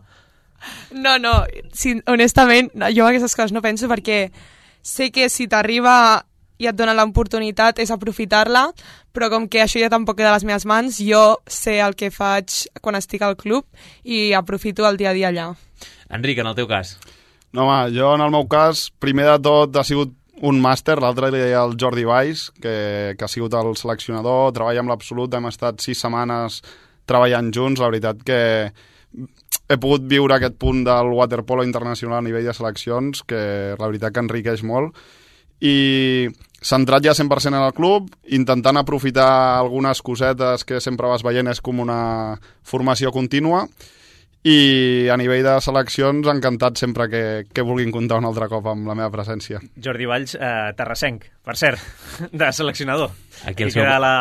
No, no, si, honestament, jo aquestes coses no penso perquè sé que si t'arriba i et donen l'oportunitat és aprofitar-la, però com que això ja tampoc queda a les meves mans, jo sé el que faig quan estic al club i aprofito el dia a dia allà. Enric, en el teu cas? No, home, jo en el meu cas, primer de tot ha sigut un màster, l'altre li deia el Jordi Valls, que, que ha sigut el seleccionador, treballa amb l'Absolut, hem estat sis setmanes treballant junts, la veritat que he pogut viure aquest punt del waterpolo internacional a nivell de seleccions, que la veritat que enriqueix molt, i centrat ja cent per cent en el club, intentant aprofitar algunes cosetes que sempre vas veient, és com una formació contínua, i a nivell de seleccions encantat sempre que, que vulguin comptar un altre cop amb la meva presència. Jordi Valls, eh, terrassenc, per cert, de seleccionador. Aquí el seu... queda la,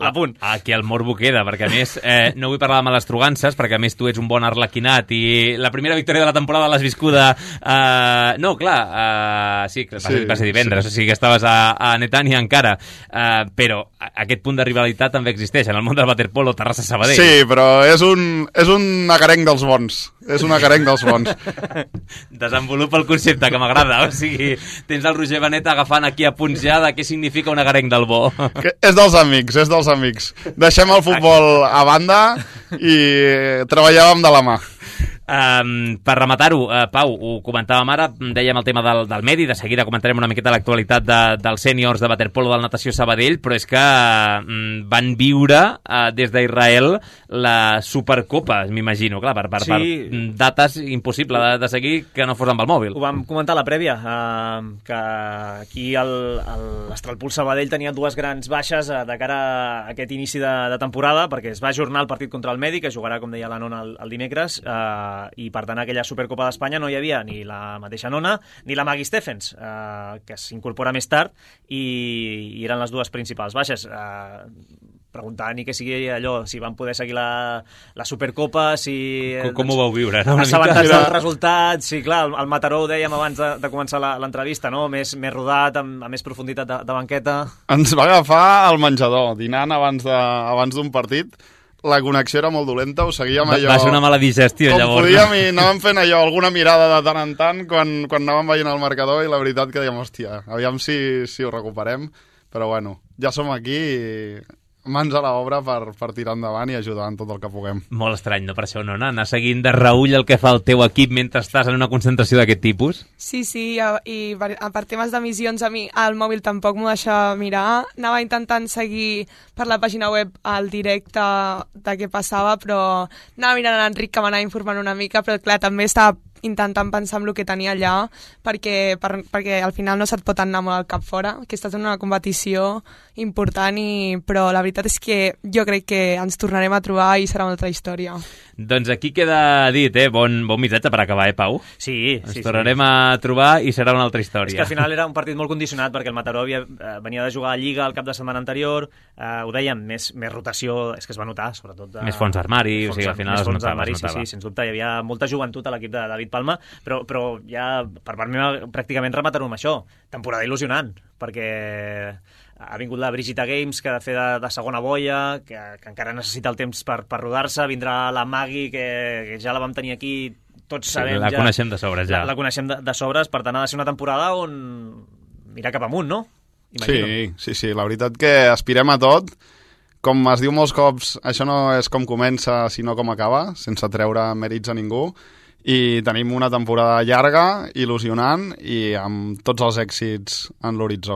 la punt. Aquí el morbo queda, perquè a més eh, no vull parlar de males trugances, perquè a més tu ets un bon arlequinat i la primera victòria de la temporada l'has viscuda... Eh, no, clar, eh, sí, va ser, sí, va ser divendres, sí. O sigui que estaves a, a Netanya encara, eh, però aquest punt de rivalitat també existeix en el món del waterpolo Terrassa-Sabadell. Sí, però és un, és un acarenc dels bons. És un acarenc dels bons. Desenvolupa el concepte, que m'agrada. O sigui, tens el Roger Benet agafant aquí a punts ja de què significa un acarenc del bo. Que és dels amics, és dels amics. Deixem el futbol a banda i treballàvem de la mà. Um, per rematar-ho, uh, Pau, ho comentàvem ara, dèiem el tema del, del medi, de seguida comentarem una miqueta l'actualitat de, dels sèniors de waterpolo del Natació Sabadell, però és que uh, van viure uh, des d'Israel la Supercopa, m'imagino, clar, per, per, sí. per dates impossible de, de seguir que no fos amb el mòbil. Ho vam comentar a la prèvia, uh, que aquí l'Astralpool Sabadell tenia dues grans baixes uh, de cara a aquest inici de, de temporada, perquè es va ajornar el partit contra el Medi, que jugarà, com deia la Nona, el, el dimecres, uh, i per tant aquella Supercopa d'Espanya no hi havia ni la mateixa Nona ni la Maggie Stephens, eh, que s'incorpora més tard i, i eren les dues principals baixes. Eh, preguntar ni que sigui allò, si van poder seguir la, la Supercopa, si... Com, com ho vau viure, no? Assabentats dels resultats, sí, clar, el, el Mataró ho dèiem abans de, de començar l'entrevista, no? Més, més rodat, amb, amb més profunditat de, de banqueta. Ens va agafar al menjador, dinant abans de, abans d'un partit. La connexió era molt dolenta, ho seguíem allò... Va ser una mala digestió, com llavors. Com podíem i anàvem fent allò, alguna mirada de tant en tant quan, quan anàvem veient el marcador i la veritat que dèiem, hòstia, aviam si, si ho recuperem, però bueno, ja som aquí i mans a l'obra per, per tirar endavant i ajudar en tot el que puguem. Molt estrany, no, per això, no, anar seguint de reull el que fa el teu equip mentre estàs en una concentració d'aquest tipus? Sí, sí, i per, per temes d'emissions a mi al mòbil tampoc m'ho deixa mirar. Anava intentant seguir per la pàgina web el directe de què passava, però anava mirant a l'Enric que m'anava informant una mica, però clar, també estava intentant pensar en el que tenia allà, perquè, per, perquè al final no se't pot anar molt al cap fora, que estàs en una competició important, i, però la veritat és que jo crec que ens tornarem a trobar i serà una altra història. Doncs aquí queda dit, eh? Bon, bon missatge per acabar, eh, Pau? Sí, Ens sí. Ens tornarem sí. a trobar i serà una altra història. És que al final era un partit molt condicionat, perquè el Mataró havia, eh, venia de jugar a Lliga el cap de setmana anterior, eh, ho dèiem, més, més rotació, és que es va notar, sobretot... De, més fons d'armari, o sigui, al final es notava. Armari, sí, sí, sens dubte, hi havia molta joventut a l'equip de David Palma, però, però ja per part meva pràcticament rematar-ho amb això. Temporada il·lusionant, perquè ha vingut la Brigida Games, que ha de fer de, de segona boia, que, que encara necessita el temps per, per rodar-se, vindrà la Magui, que, que ja la vam tenir aquí, tots sabem... Sí, la ja, coneixem de sobres, ja. La, la coneixem de, de sobres, per tant ha de ser una temporada on mirar cap amunt, no? Imagino. Sí, sí, sí, la veritat que aspirem a tot. com es diu molts cops, això no és com comença, sinó com acaba, sense treure mèrits a ningú. I tenim una temporada llarga, il·lusionant i amb tots els èxits en l'horitzó.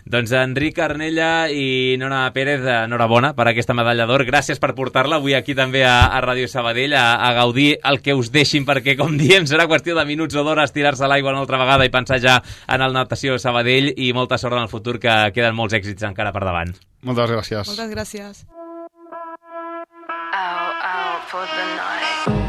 Doncs Enric Arnella i Nora Pérez, enhorabona per aquesta medalla d'or. Gràcies per portar-la avui aquí també a, a Ràdio Sabadell, a, a gaudir el que us deixin, perquè, com diem, serà qüestió de minuts o d'hores tirar-se a l'aigua una altra vegada i pensar ja en el Natació Sabadell, i molta sort en el futur, que queden molts èxits encara per davant. Moltes gràcies. Moltes gràcies. Out, out for the night.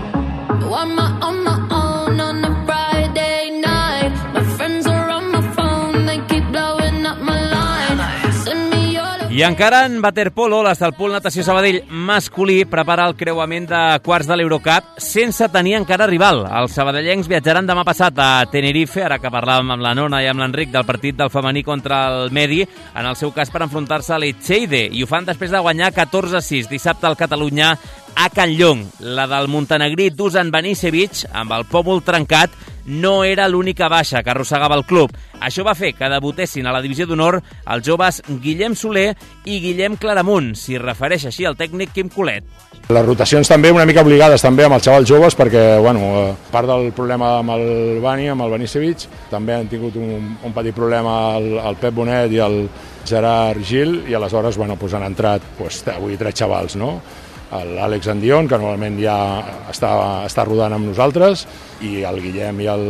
I'm on my own on a Friday night. My friends are on my phone, they keep blowing up my line. Send me your... I encara en waterpolo, l'Estalpol Natació Sabadell masculí prepara el creuament de quarts de l'Eurocup sense tenir encara rival. Els sabadellencs viatjaran demà passat a Tenerife, ara que parlàvem amb la Nona i amb l'Enric del partit del femení contra el Medi, en el seu cas per enfrontar-se a l'Etxeide, i ho fan després de guanyar catorze a sis dissabte al Catalunya a Can Llong. La del montenegrí Dusan Banisevic, amb el pòmul trencat, no era l'única baixa que arrossegava el club. Això va fer que debutessin a la divisió d'honor els joves Guillem Soler i Guillem Claramunt, s'hi refereix així el tècnic Quim Colet. Les rotacions també una mica obligades també amb els xavals joves, perquè, bueno, a part del problema amb el Bani, amb el Banisevic, també han tingut un, un petit problema el, el Pep Bonet i el Gerard Gil, i aleshores, bueno, pues han entrat pues, avui tres xavals, no? L'Àlex Andion, que normalment ja està, està rodant amb nosaltres, i el Guillem i el,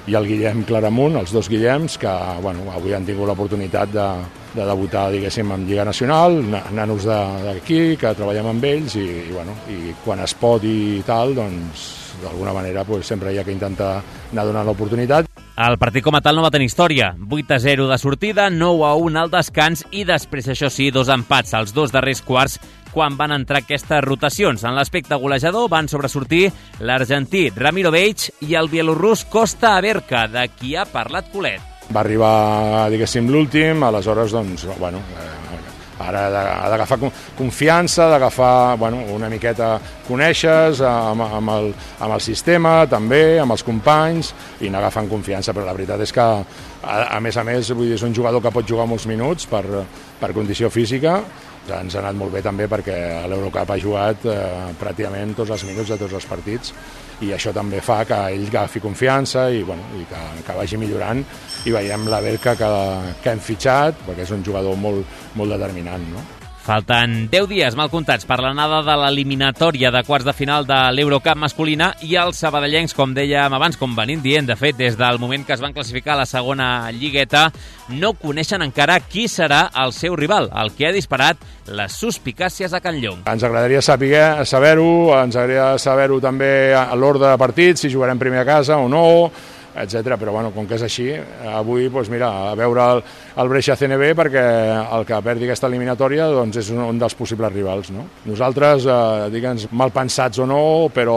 i el Guillem Claramunt, els dos Guillems, que bueno, avui han tingut l'oportunitat de, de debutar, diguéssim, en Lliga Nacional, nanos d'aquí, que treballem amb ells, i, i, bueno, i quan es pot i tal, doncs d'alguna manera pues, sempre hi ha que intentar anar donant l'oportunitat. El partit com a tal no va tenir història. vuit a zero de sortida, nou a un al descans i després, això sí, dos empats als dos darrers quarts quan van entrar aquestes rotacions. En l'aspecte golejador van sobresortir l'argentí Ramiro Beig i el bielorrus Costa Averka, de qui ha parlat Colet. Va arribar, diguéssim, l'últim, aleshores, doncs, bueno, ara ha d'agafar confiança, d'agafar, bueno, una miqueta coneixes amb, amb, el, amb el sistema, també, amb els companys, i anar agafant confiança, però la veritat és que, a, a més a més, vull dir, és un jugador que pot jugar molts minuts per, per condició física. Ens ha anat molt bé també perquè a l'Eurocup ha jugat eh, pràcticament tots els minuts de tots els partits, i això també fa que ell agafi confiança i, bueno, i que, que vagi millorant, i veiem la Berca que, que hem fitxat, perquè és un jugador molt, molt determinant, no? Falten deu dies mal comptats per l'anada de l'eliminatòria de quarts de final de l'Eurocup masculina, i els sabadellencs, com dèiem abans, com venim dient, de fet, des del moment que es van classificar a la segona lligueta, no coneixen encara qui serà el seu rival, el que ha disparat les suspicàcies a Can Llong. Ens agradaria saber, saber-ho, ens agradaria saber-ho també a l'ordre de partit, si jugarem primer a casa o no, etcètera. Però bueno, com que és així, avui doncs mira, a veure el, el Brescia C N B, perquè el que perdi aquesta eliminatòria doncs és un, un dels possibles rivals, no? Nosaltres, eh, digue'ns, mal pensats o no, però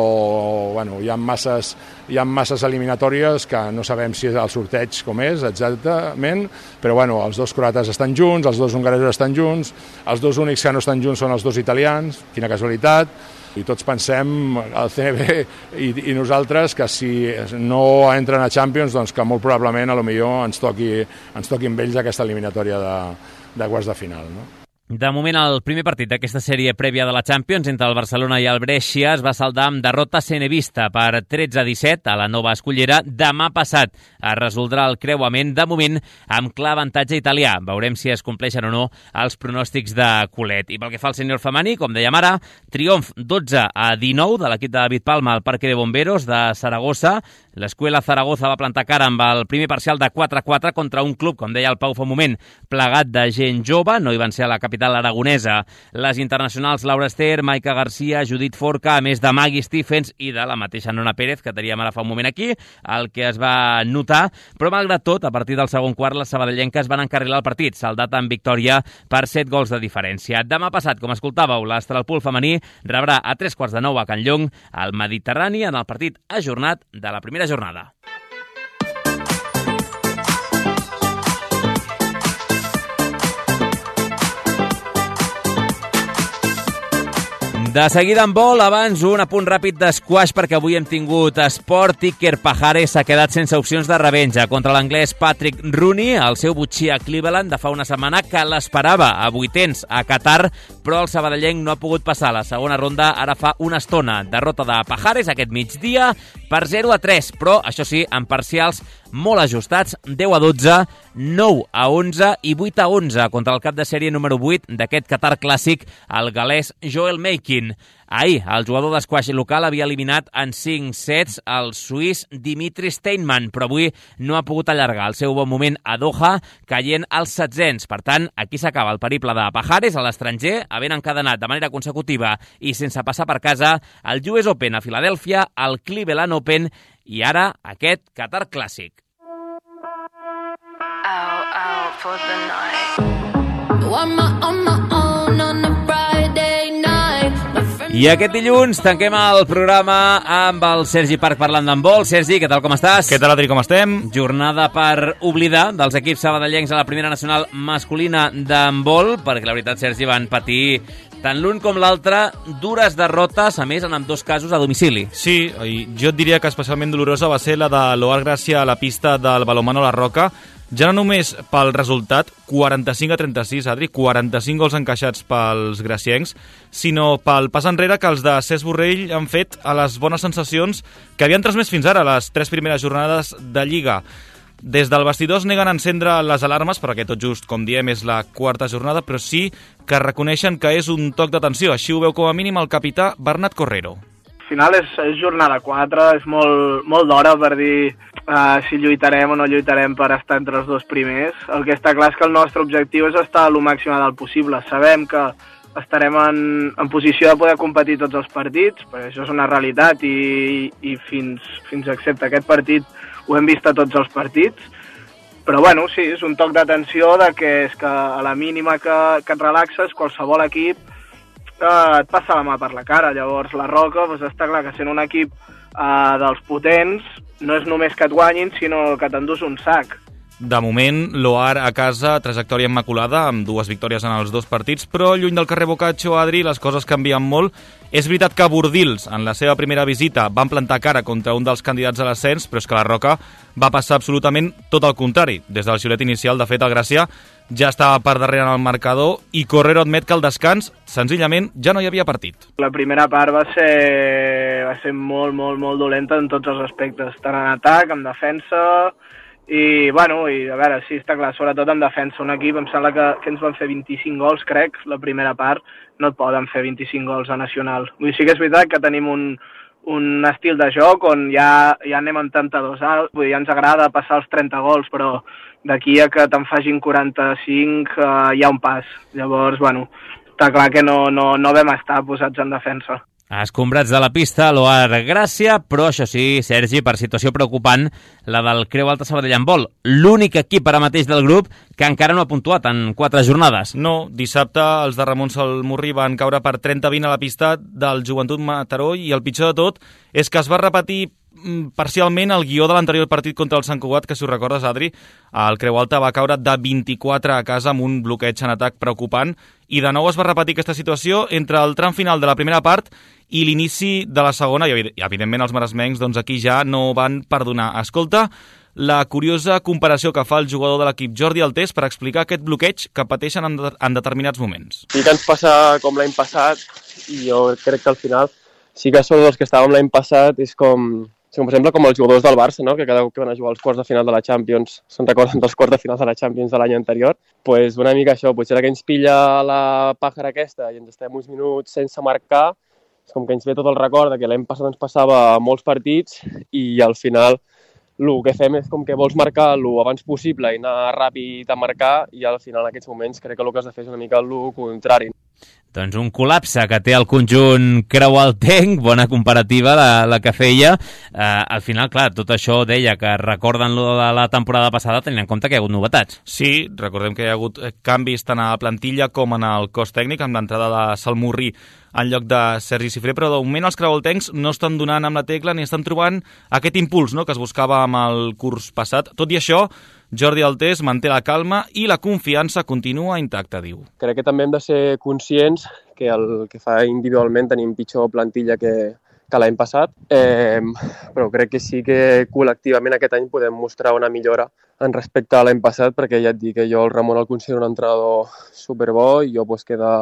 bueno, hi ha masses, hi ha masses eliminatòries que no sabem si el sorteig com és exactament, però bueno, els dos croates estan junts, els dos hongaresos estan junts, els dos únics que no estan junts són els dos italians, quina casualitat. I tots pensem, el C N B i, i nosaltres, que si no entren a Champions, doncs que molt probablement a lo millor ens toqui, ens toqui amb ells aquesta eliminatòria de, de quarts de final, no? De moment, el primer partit d'aquesta sèrie prèvia de la Champions entre el Barcelona i el Brescia es va saldar amb derrota cenevista per tretze a disset a la Nova Escullera. Demà passat es resoldrà el creuament, de moment amb clar avantatge italià. Veurem si es compleixen o no els pronòstics de Colet. I pel que fa al sènior femení, com dèiem ara, triomf dotze a dinou de l'equip de David Palma al Parque de Bomberos de Saragossa. L'Escuela Zaragoza va plantar cara amb el primer parcial de quatre a quatre contra un club, com deia el Pau fa un moment, plegat de gent jove. No hi van ser a la capital aragonesa les internacionals Laura Ester, Maica Garcia, Judit Forca, a més de Maggie Stephens i de la mateixa Nona Pérez, que teníem ara fa un moment aquí, el que es va notar. Però malgrat tot, a partir del segon quart, les sabadellenques van encarrilar el partit, saldat amb victòria per set gols de diferència. Demà passat, com escoltàveu, l'Estralpol femení rebrà a tres quarts de nou a Can Llong al Mediterrani en el partit ajornat de la primera jornada. De seguida en vol, abans un apunt ràpid d'esquash perquè avui hem tingut esport. Iker Pajares s'ha quedat sense opcions de revenja contra l'anglès Patrick Rooney, el seu botxí a Cleveland de fa una setmana, que l'esperava a vuitens a Qatar, però el sabadellenc no ha pogut passar la segona ronda ara fa una estona. Derrota de Pajares aquest migdia per zero a tres, però això sí, en parcials molt ajustats, deu a dotze, nou a onze i vuit a onze contra el cap de sèrie número vuit d'aquest Qatar clàssic, el galès Joel Meikin. Ahir, el jugador d'esquaix local havia eliminat en cinc sets el suís Dimitri Steinman, però avui no ha pogut allargar el seu bon moment a Doha, caient als setzents. Per tant, aquí s'acaba el periple de Pajares a l'estranger, havent encadenat de manera consecutiva i sense passar per casa el U S Open a Filadèlfia, el Cleveland Open i ara aquest Qatar clàssic. Out, out for the night. I'm on my own on a Friday night. I aquest dilluns tanquem el programa amb el Sergi Parc parlant d'handbol. Sergi, què tal, com estàs? Què tal, Adri, com estem? Jornada per oblidar dels equips sabadellencs a la primera nacional masculina d'handbol, perquè la veritat, Sergi, van patir tant l'un com l'altre dures derrotes, a més en ambdós casos a domicili. Sí, i jo et diria que especialment dolorosa va ser la de l'Oar Gràcia a la pista del Balonmano La Roca, ja no només pel resultat, quaranta-cinc a trenta-sis, Adri, quaranta-cinc gols encaixats pels graciencs, sinó pel pas enrere que els de Cesc Borrell han fet a les bones sensacions que havien transmès fins ara les tres primeres jornades de Lliga. Des del vestidor es neguen a encendre les alarmes, perquè tot just, com diem, és la quarta jornada, però sí que reconeixen que és un toc d'atenció. Així ho veu com a mínim el capità Bernat Correro. Al final és, és jornada quatre, és molt, molt d'hora per dir uh, si lluitarem o no lluitarem per estar entre els dos primers. El que està clar és que el nostre objectiu és estar el màxim del possible. Sabem que estarem en, en posició de poder competir tots els partits, perquè això és una realitat i, i fins, fins excepte aquest partit ho hem vist a tots els partits, però bueno, sí, és un toc d'atenció de que és que a la mínima que, que et relaxes, qualsevol equip eh, et passa la mà per la cara. Llavors la Roca, doncs està clar que sent un equip eh, dels potents, no és només que et guanyin, sinó que t'endús un sac. De moment, l'Oar a casa, trajectòria immaculada, amb dues victòries en els dos partits, però lluny del carrer Boccaccio, Adri, les coses canvien molt. És veritat que Bordils, en la seva primera visita, van plantar cara contra un dels candidats a l'ascens, però és que la Roca va passar absolutament tot el contrari. Des del xiulet inicial, de fet, el Gràcia ja estava per darrere en el marcador i Correro admet que al descans, senzillament, ja no hi havia partit. La primera part va ser, va ser molt, molt, molt dolenta en tots els aspectes, tant en atac, en defensa. I, bueno, i a veure, sí, està clar, sobretot en defensa. Un equip, em sembla que, que ens van fer vint-i-cinc gols, crec, la primera part. No et poden fer vint-i-cinc gols a Nacional. Vull dir, sí que és veritat que tenim un, un estil de joc on ja, ja anem en trenta-dos alt. Vull dir, ja ens agrada passar els trenta gols, però d'aquí a que te'n facin quaranta-cinc eh, hi ha un pas. Llavors, bueno, està clar que no, no, no vam estar posats en defensa. Escombrats de la pista, l'Oar Gràcia, però això sí, Sergi, per situació preocupant, la del Creu Alta Sabadell Handbol. L'únic equip ara mateix del grup que encara no ha puntuat en quatre jornades. No, dissabte els de Ramon Salmurri van caure per trenta a vint a la pista del Joventut Mataró i el pitjor de tot és que es va repetir parcialment el guió de l'anterior partit contra el Sant Cugat, que si ho recordes, Adri, el Creu Alta va caure de vint-i-quatre a casa amb un bloqueig en atac preocupant i de nou es va repetir aquesta situació entre el tram final de la primera part i l'inici de la segona i evidentment els maresmencs doncs aquí ja no van perdonar. Escolta la curiosa comparació que fa el jugador de l'equip Jordi Altés per explicar aquest bloqueig que pateixen en, de en determinats moments. Sí que ens passa com l'any passat i jo crec que al final sí que són els que estàvem l'any passat, és com... Sí, com per exemple com els jugadors del Barça, no? Que cada cop que van a jugar als quarts de final de la Champions se'n recorden dels quarts de final de la Champions de l'any anterior. Pues una mica això, potser que ens pilla la pàjara aquesta i ens estem uns minuts sense marcar, és com que ens ve tot el record que l'any passat ens passava molts partits i al final el que fem és com que vols marcar el abans possible i anar ràpid a marcar i al final en aquests moments crec que el que has de fer és una mica el contrari. Doncs un col·lapse que té el conjunt creualtenc, bona comparativa la, la que feia. Eh, al final, clar, tot això deia que recorden lo de la temporada passada tenint en compte que hi ha hagut novetats. Sí, recordem que hi ha hagut canvis tant a la plantilla com en el cos tècnic, amb l'entrada de Salmurri en lloc de Sergi Cifré, però de moment els creualtencs no estan donant amb la tecla ni estan trobant aquest impuls, no?, que es buscava amb el curs passat. Tot i això, Jordi Altés manté la calma i la confiança continua intacta, diu. Crec que també hem de ser conscients que que el que fa individualment tenim pitjor plantilla que, que l'any passat, eh, però crec que sí que col·lectivament aquest any podem mostrar una millora en respecte a l'any passat, perquè ja et dic que jo el Ramon el considero un entrenador superbo i jo pues, que de,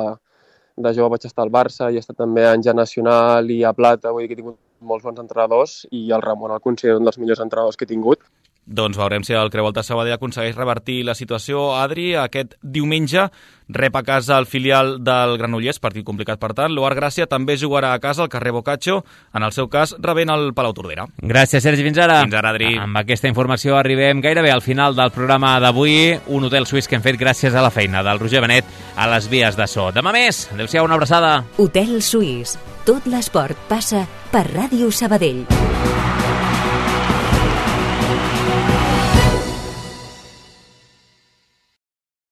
de jove vaig estar al Barça i he estat també a Anja Nacional i a Plata, vull dir que he tingut molts bons entrenadors i el Ramon el considero un dels millors entrenadors que he tingut. Doncs veurem si el Creu Alta Sabadell aconsegueix revertir la situació. Adri, aquest diumenge rep a casa el filial del Granollers, partit complicat per tant. L'Oar Gràcia també jugarà a casa al carrer Boccaccio, en el seu cas rebent el Palau Tordera. Gràcies, Sergi, fins ara. Fins ara, Adri. Amb aquesta informació arribem gairebé al final del programa d'avui, un hotel suís que hem fet gràcies a la feina del Roger Benet a les vies de so. Demà més, adéu-siau, una abraçada. Hotel Suís. Tot l'esport passa per Ràdio Sabadell.